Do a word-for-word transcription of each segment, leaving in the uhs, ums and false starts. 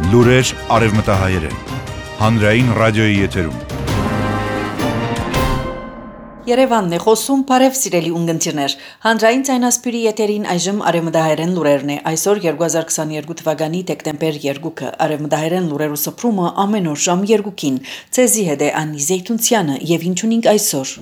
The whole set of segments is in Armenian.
Լուրեր արևմտահայերեն, հանրային ռադիոյի եթերում։ Երևանն է խոսում, բարև սիրելի ունգընտիրներ, հանրային ցայնասպիրի եթերին այժմ արևմտահայերեն լուրերն է, այսօր երկու հազար քսաներկու թվականի դեկտեմբեր երկուքը, արևմտահայերեն լուրերու սփռումը ամեն օր ժամ երկուքին, ցեզի հետ է Անի Զեյթունցյանը եւ ինչ ունենք այսօր։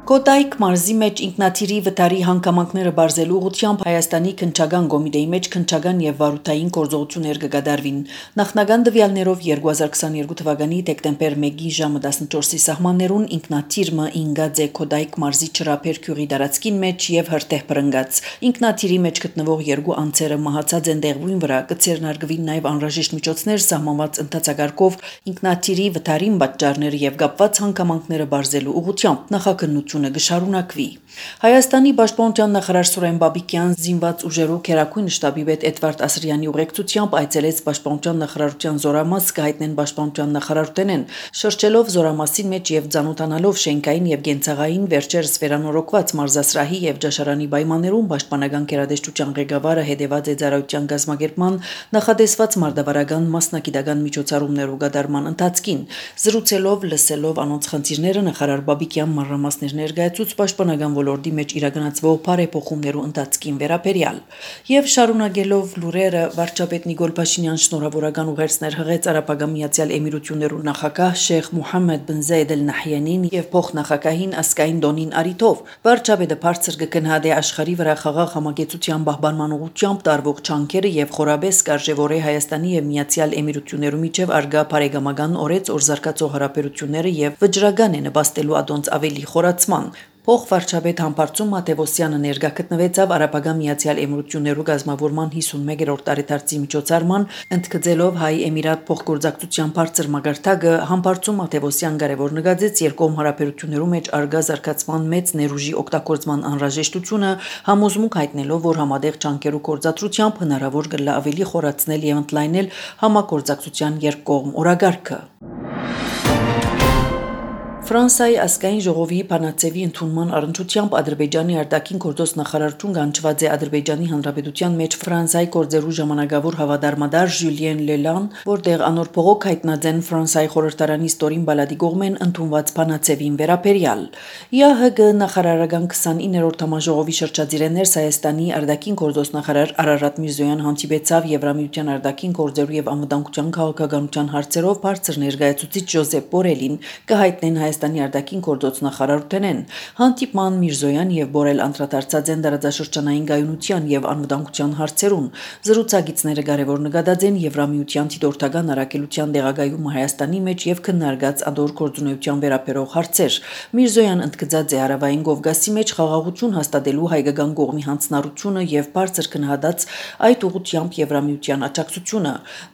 Կոտայք մարզի մեջ ինքնաթիռի վթարի հանգամանքները բարձելու ուղղությամբ Հայաստանի քննչական կոմիտեի մեջ քննչական եւ վարութային գործողություններ կգադարվին։ Նախնական տվյալներով երկու հազար քսաներկու թվականի դեկտեմբեր մեկի ժամը տասնչորսի սահմաններուն ինքնաթիռը ինգած է Կոտայք մարզի Չրափեր գյուղի տարածքին մեջ եւ հրտեհ բռնգած։ Ինքնաթիռի մեջ գտնվող երկու անձերը մահացած են դեղույն վրա, կցերնարգվին նաեւ անհրաժեշտ միջոցներ սահմանված ընթացակարգով ինքնաթիռի վթարին պատճառները եւ կապված հանգամանքները բարձելու ուղղությամբ նախաքննություն գշարունակվի։ Հայաստանի պաշտպանության նախարար Սուրեն Բաբիկյան զինված ուժերու քերակույն շտաբի պետ Էդվարդ Ասրյանի ուղեկցությամբ այցելեց պաշտպանության նախարարության զորամաս կհայտնեն պաշտպանության նախարարութենեն, շրջելով զորամասի մեջ եւ ցանոթանալով շենքային եւ գենցաղային վերջերս վերանորոգված մարզասրահի եւ ճաշարանի պայմաններում պաշտպանական գերադեշտության ղեկավարը հետևած է ծառայության գազམ་ագերման նախադեсված մարդավարական մասնակիտական միջոցառումներու գդարման ընթացքին, զրուցելով լսելով անոնց խնդիրները նախարար Բաբիկյան մանրամասներ ներկայացուց պաշտպանական ոլորտի մեջ իրականացվող բարեփոխումներու ընթացքին վերաբերյալ եւ շարունակելով լուրերը վարչապետ Նիկոլ Փաշինյան շնորհավորական ուղերձներ հղեց Արաբական Միացյալ Էմիրություններու նախագահ Շեյխ Մուհամմեդ բն Զայեդ Ալ Նահյանին եւ փոխնախագահին ասկային դոնին արիթով վարչապետը բարձր կգնահատի աշխարհի վրա խաղաղ համագեցության պահպանման ուղղությամբ տարվող չանքերը եւ խորաբես կարժեվորե Հայաստանի եւ Միացյալ Էմիրություններու միջև արգա բարեկամական օրեց օր զարգացող հարաբերությունները եւ վճռական է նպաստելու ադոնց ավելի խորացման։ Փոխվարչապետ Համբարձում Մատևոսյանը ներկա գտնվեցավ Արաբական Միացյալ Էմիրություններու գազམ་ավորման հիսունմեկերորդ տարեդարձի միջոցառման, ընդգծելով Հայ-Էմիրատ փոխգործակցության բարձր մագարտակը, Համբարձում Մատևոսյան կարևոր նկատեց երկկողմ հարաբերություններու մեջ արգա զարգացման մեծ ներուժի օգտագործման անհրաժեշտությունը, համոզմունք հայտնելով, որ համատեղ ջանքերու գործադրությամբ հնարավոր կլա ավելի խորացնել եւ ընդլայնել համագործակցության երկկողմ օրագարկը։ Ֆրանսիայի ազգային ժողովի Փանացեվի ընդունման առընչությամբ Ադրբեջանի արտաքին գործոս նախարարություն կանչված է Ադրբեջանի Հանրապետության մեջ Ֆրանսիայի գործերու ժամանակավոր հավատարմադար Ժյուլիեն Լելան, որտեղ անոր փողոք հայտնած են Ֆրանսիայի խորհրդարանի ստորին բալադի կողմեն ընդունված Փանացեվին վերաբերյալ։ ԵԱՀԿ նախարարական քսանիններորդ համաժողովի շրջադիրներս Հայաստանի արտաքին գործոս նախարար Արարատ Միրզոյան հանդիպեցավ Եվրամիության արտաքին գործերու եւ անվտանգության քաղաքականության հարցերով բարձր ներկայացուցիչ Ժոզեփ Բորելին կհայտնեն Հայաստանի արտաքին գործոս նախարարութենեն հանդիպման Միրզոյան եւ Բորել անդրադարձած են դարաձաշրջանային գայունության եւ անվտանգության հարցերուն։ Զրուցակիցները կարևոր նկատած են Եվրամիության դիտորդական առաքելության դեղագայումը Հայաստանի մեջ եւ քննարկած ադոր գործունեության վերաբերող հարցեր։ Միրզոյան ընդգծած է Հարավային Կովկասի մեջ խաղաղություն հաստատելու հայկական կողմի հանձնառությունը եւ բարձր քննադատած այդ ուղղությամբ Եվրամիության աջակցությունը։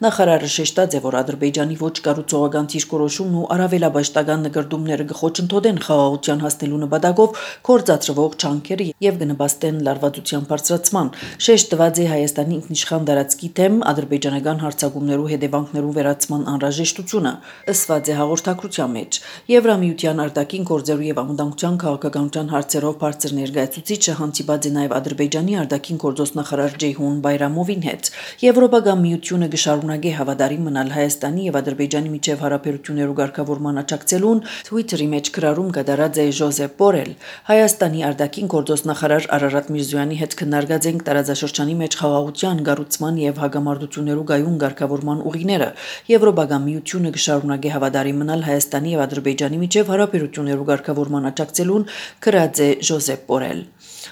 Նախարարը շեշտած է, որ Ադրբեջանի ոչ կառուցողական դիրքորոշումն ու առավելաբաշխական նկարտումները կխոչընդոտեն խաղաղության հասնելու նպատակով կործածրվող ջանքերը եւ կնպաստեն լարվածության բարձրացման։ Շեշտված է Հայաստանի ինքնիշխան տարածքի դեմ ադրբեջանական հարձակումներու հետևանքներու վերացման անհրաժեշտությունը, ըսված է հաղորդակցության մեջ։ Եվրամիության արտաքին գործերու եւ անվտանգության քաղաքականության հարցերով բարձր ներկայացուցիչը հանդիպած է նաեւ Ադրբեջանի արտաքին գործոս նախարար Ջեյհուն Բայրամովին հետ։ Եվրոպական միությունը կշարունակի հավատարիմ մնալ Հայաստանի եւ Ադրբեջանի միջև հարաբերություններու ղեկավարման աջակցելուն Twitter-ի մեջ գրառում կատարած է Ժոզեփ Բորել։ Հայաստանի արտաքին գործոս նախարար Արարատ Միրզոյանի հետ քննարկած ենք տարածաշրջանի մեջ խաղաղության, կառուցման եւ հագամարտություններու գայուն ղեկավարման ուղիները։ Եվրոպական միությունը կշարունակի հավատարիմ մնալ Հայաստանի եւ Ադրբեջանի միջև հարաբերություններու ղեկավարման աջակցելուն, գրած է Ժոզեփ Բորել։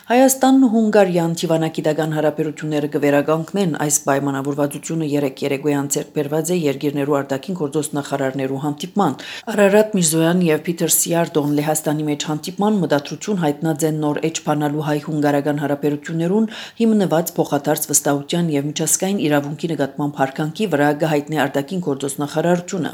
Հայաստանն ու Հունգարիան թիվանակիտական հարաբերությունները կվերականգնեն այս պայմանավորվածությունը երեք երեկոյան ցերկ բերված է երկիրներու արտաքին գործոս նախարարներու հանդիպման։ Արարատ Միրզոյան եւ Փիթեր Սիարդոն Լեհաստանի մեջ հանդիպման մտադրություն հայտնած են նոր էջ բանալու հայ-հունգարական հարաբերություններուն հիմնված փոխադարձ վստահության եւ միջազգային իրավունքի նկատմամբ հարկանքի վրա կհայտնի արտաքին գործոս նախարարությունը։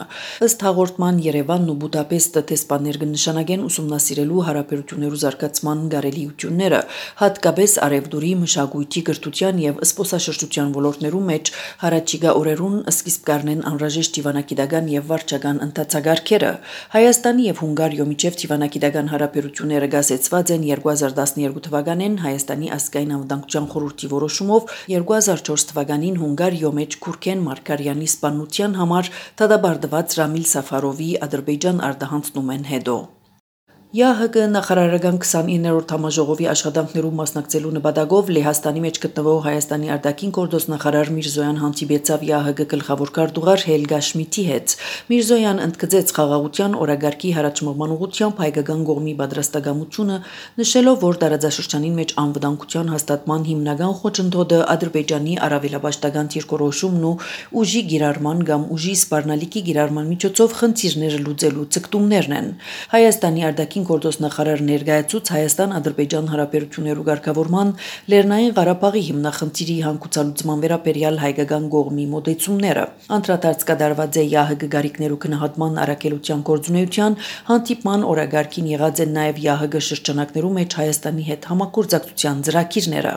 Ըստ հաղորդման Երևանն ու Բուդապեստը տեսփաններ կնշանակեն ուսումնասիրելու հարաբերություններու զարգացման գարելիությունները։ հատկապես արևդուրի, մշակույթի, կրթության եւ զբոսաշրջության ոլորտներում մեջ հարաճիգա օրերուն սկիզբ կառնեն անհրաժեշտ դիվանագիտական եւ վարչական ընթացագարկերը։ Հայաստանի եւ Հունգարիո միջև դիվանագիտական հարաբերությունները գասեցված են երկու հազար տասներկու թվականին Հայաստանի ազգային անվտանգության խորհրդի որոշումով, երկու հազար չորս թվականին Հունգարիո մեջ Քուրքեն Մարկարյանի սպանության համար դատաբարդված Ռամիլ Սաֆարովի Ադրբեջան արտահանցնում են հետո։ ԵԱՀԿ նախարարական քսանիններորդ համաժողովի աշխատանքներում մասնակցելու նպատակով Լեհաստանի մեջ գտնվող Հայաստանի արտաքին գործոստ նախարար Միրզոյան հանդիպեցավ ԵԱՀԿ գլխավոր քարտուղար Հելգա Շմիդտի հետ։ Միրզոյան ընդգծեց խաղաղության օրագարկի հարաճմողման ուղղությամբ հայկական կողմի պատրաստակամությունը, նշելով, որ տարածաշրջանին մեջ անվտանգության հաստատման հիմնական խոչընդոտը Ադրբեջանի առավելապաշտական դիրքորոշումն ու ուժի գիրառման կամ ուժի սպառնալիքի գիրառման միջոցով խնդիրները լուծելու ցկտումներն են։ Հայաստանի արտաքին գործոստ նախարար ներկայացուց Հայաստան-Ադրբեջան հարաբերություններու ղեկավարման Լեռնային Ղարաբաղի հիմնախնդիրի հանգուցալուծման վերաբերյալ հայկական կողմի մոտեցումները։ Անդրադարձ կատարված է ԵԱՀԿ գարիկներու քննադատման առաքելության գործունեության հանդիպման օրագարկին եղած են նաև ԵԱՀԿ շրջանակներու մեջ Հայաստանի հետ համագործակցության ծրագիրները։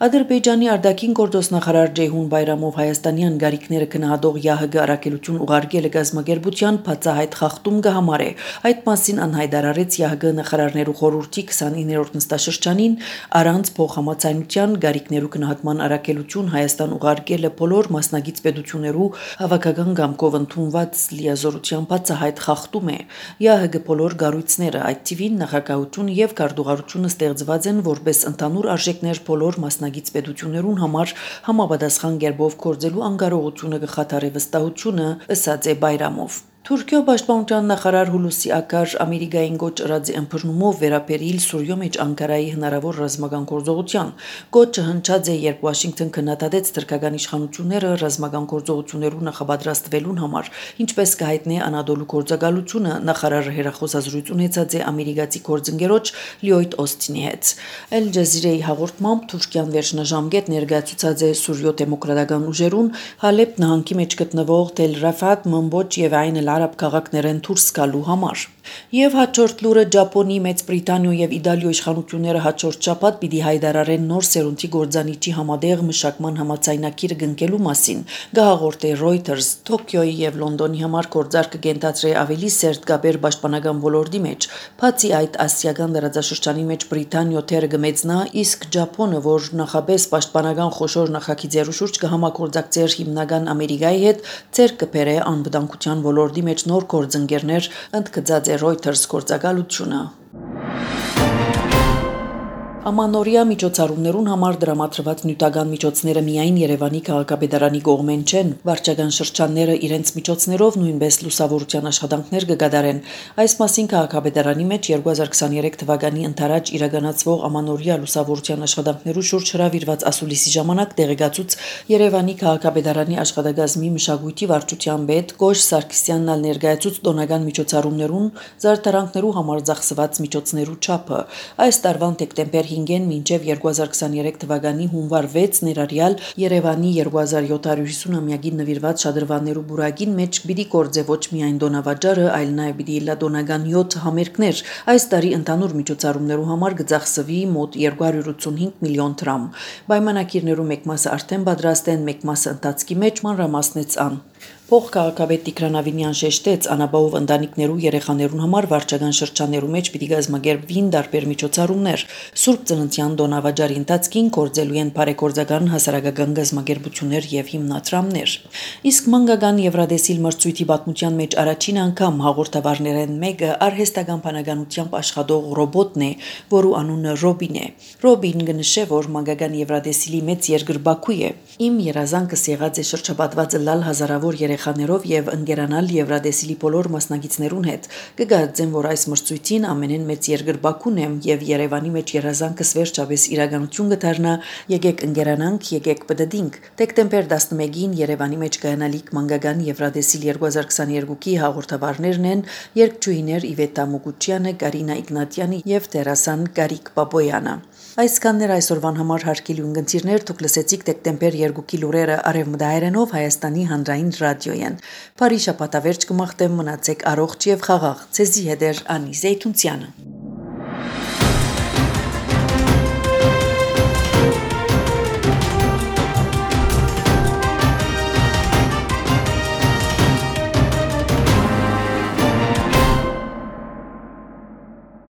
Ադրբեջանի արտաքին գործոստ նախարար Ջեյհուն Բայրամով հայաստանյան գարիկները քննադող ԵԱՀԿ առաքելություն ուղարկելը գազམ་ագերբության բացահայտ խախտում կհամարե։ Այդ մասին անհայտարարեց ԵԱՀԿ նախարարներու խորհրդի քսանիններորդ նստաշրջանին առանց փոխհամաձայնության գարիկներու քննադատման առաքելություն Հայաստան ուղարկելը բոլոր մասնագետ պետություններու հավաքական կամքով ընդունված լիազորության բացահայտ խախտում է։ ԵԱՀԿ բոլոր կառույցները, այդ թիվին նախագահություն եւ քարտուղարությունը ստեղծված են որպես ընդհանուր արժեքներ բոլոր մասնագետ պետություններուն համար համապատասխան կերպով գործելու անկարողությունը կխաթարի վստահությունը, ըսած է Բայրամով։ Թուրքիո պաշտպանության նախարար Հուլուսի Ակար Ամերիկային գոչ ըրած ըմբռնումով վերաբերիլ Սուրիո մեջ Անկարայի հնարավոր ռազմական գործողության։ Գոչը հնչած է, երբ Վաշինգտոն քննադատեց թուրքական իշխանությունները ռազմական գործողություններու նախապատրաստվելուն համար, ինչպես կհայտնի Անադոլու գործակալությունը նախարարը հերախոսազրույց ունեցած է ամերիկացի գործընկերոջ Լյոյդ Օստինի հետ։ Al Jazeera-ի հաղորդմամբ Թուրքիան վերջնաժամկետ ներկայացուցած է Սուրիո դեմոկրատական ուժերուն Հալեբ նահանգի մեջ գտնվող Թել Ռաֆատ, Մամբոջ եւ Այն Արաբ քաղաքներեն դուրս գալու համար։ Եվ հաջորդ լուրը Ճապոնի, Մեծ Բրիտանիո եւ Իտալիո իշխանությունները հաջորդ շաբաթ պիտի հայտարարեն նոր սերունդի գործանիչի համատեղ մշակման համաձայնագիրը կնքելու մասին։ Գահաղորդե Reuters Տոկիոյի եւ Լոնդոնի համար գործարքը կենտրոնացրե ավելի սերտ կապեր պաշտպանական ոլորտի մեջ։ Բացի այդ, ասիական դարաձաշրջանի մեջ Բրիտանիո թերը կմեծնա, իսկ Ճապոնը, որ նախապես պաշտպանական խոշոր նախագիծերու շուրջ կհամագործակցեր հիմնական Ամերիկայի հետ, ցեր կբերե անվտանգության ոլորտի մեջ նոր գործընկերներ, ընդգծած է Reuters գործակալությունը։ Ամանորյա միջոցառումներուն համար դրամատրված նյութական միջոցները միայն Երևանի քաղաքապետարանի կողմեն չեն, վարչական շրջանները իրենց միջոցներով նույնպես լուսավորության աշխատանքներ կգադարեն։ Այս մասին քաղաքապետարանի մեջ երկու հազար քսաներեք թվականի ընթരാճ իրականացվող Ամանորյա լուսավորության աշխատանքներու շուրջ հրավիրված ասուլիսի ժամանակ տեղեկացուց Երևանի քաղաքապետարանի աշխատակազմի մշակույթի վարչության պետ Կոշ Սարգսյանն ալ ներկայացուց տոնական միջոցառումներուն զարդարանքներու համար ծախսված միջոցներու չափը։ Այս տարվան դեկտեմբեր հինգեն մինչև երկու հազար քսաներեք թվականի հունվար վեց ներառյալ Երևանի երկու հազար յոթ հարյուր հիսուն-ամյակին նվիրված շադրվաններու բուրագին մեջ պիտի գործե ոչ միայն դոնավաճառը, այլ նաև պիտի լա դոնական յոթ համերգներ։ Այս տարի ընդհանուր միջոցառումներու համար կծախսվի մոտ երկու հարյուր ութսունհինգ միլիոն դրամ։ Պայմանագիրներու մեկ մասը արդեն պատրաստ են, մեկ մասը ընթացքի մեջ, մանրամասնեց ան։ Փոխքաղաքապետ Տիգրան Ավինյան շեշտեց, անապահով ընտանիքներու երեխաներուն համար վարչական շրջաններու մեջ պիտի կազմակերպվին տարբեր միջոցառումներ։ Սուրբ Ծննդյան տոնավաճառի ընթացքին գործելու են բարեգործական հասարակական կազմակերպություններ եւ հիմնադրամներ։ Իսկ մանկական Եվրադեսիլ մրցույթի պատմության մեջ առաջին անգամ հաղորդավարներեն մեկը արհեստական բանականությամբ աշխատող ռոբոտն է, որու անունը Ռոբին է։ Ռոբին կնշե, որ մանկական Եվրադեսիլի մեծ երկրբակու է։ Իմ երազանքս եղած է շրջապատված լալ հազարավոր երեխաներով եւ ընկերանալ Եվրադեսիլի բոլոր մասնակիցներուն հետ։ Կգարձեմ, որ այս մրցույթին ամենեն մեծ երկրբակուն եմ եւ Երևանի մեջ երազանքս վերջապես իրականություն կդառնա։ Եկեք ընկերանանք, եկեք պտտենք։ Դեկտեմբեր տասնմեկին Երևանի մեջ կայանալիք մանկական Եվրադեսիլ երկու հազար քսաներկուի հաղորդավարներն են երգչուհիներ Իվետա Մուկուչյանը, Կարինա Իգնատյանի եւ դերասան Կարիկ Պապոյանը։ Այսքաններ այսօրվան համար հարգելի ունգընտիրներ, դուք լսեցիք դեկտեմբեր երկուի լուրերը արևմտահայերենով Հայաստանի հանրային ռադիոյեն։ Բարի շաբաթավերջ կմաղթեմ, մնացեք առողջ եւ խաղաղ։ Ցեզի հետ էր Անի Զեյթունցյանը։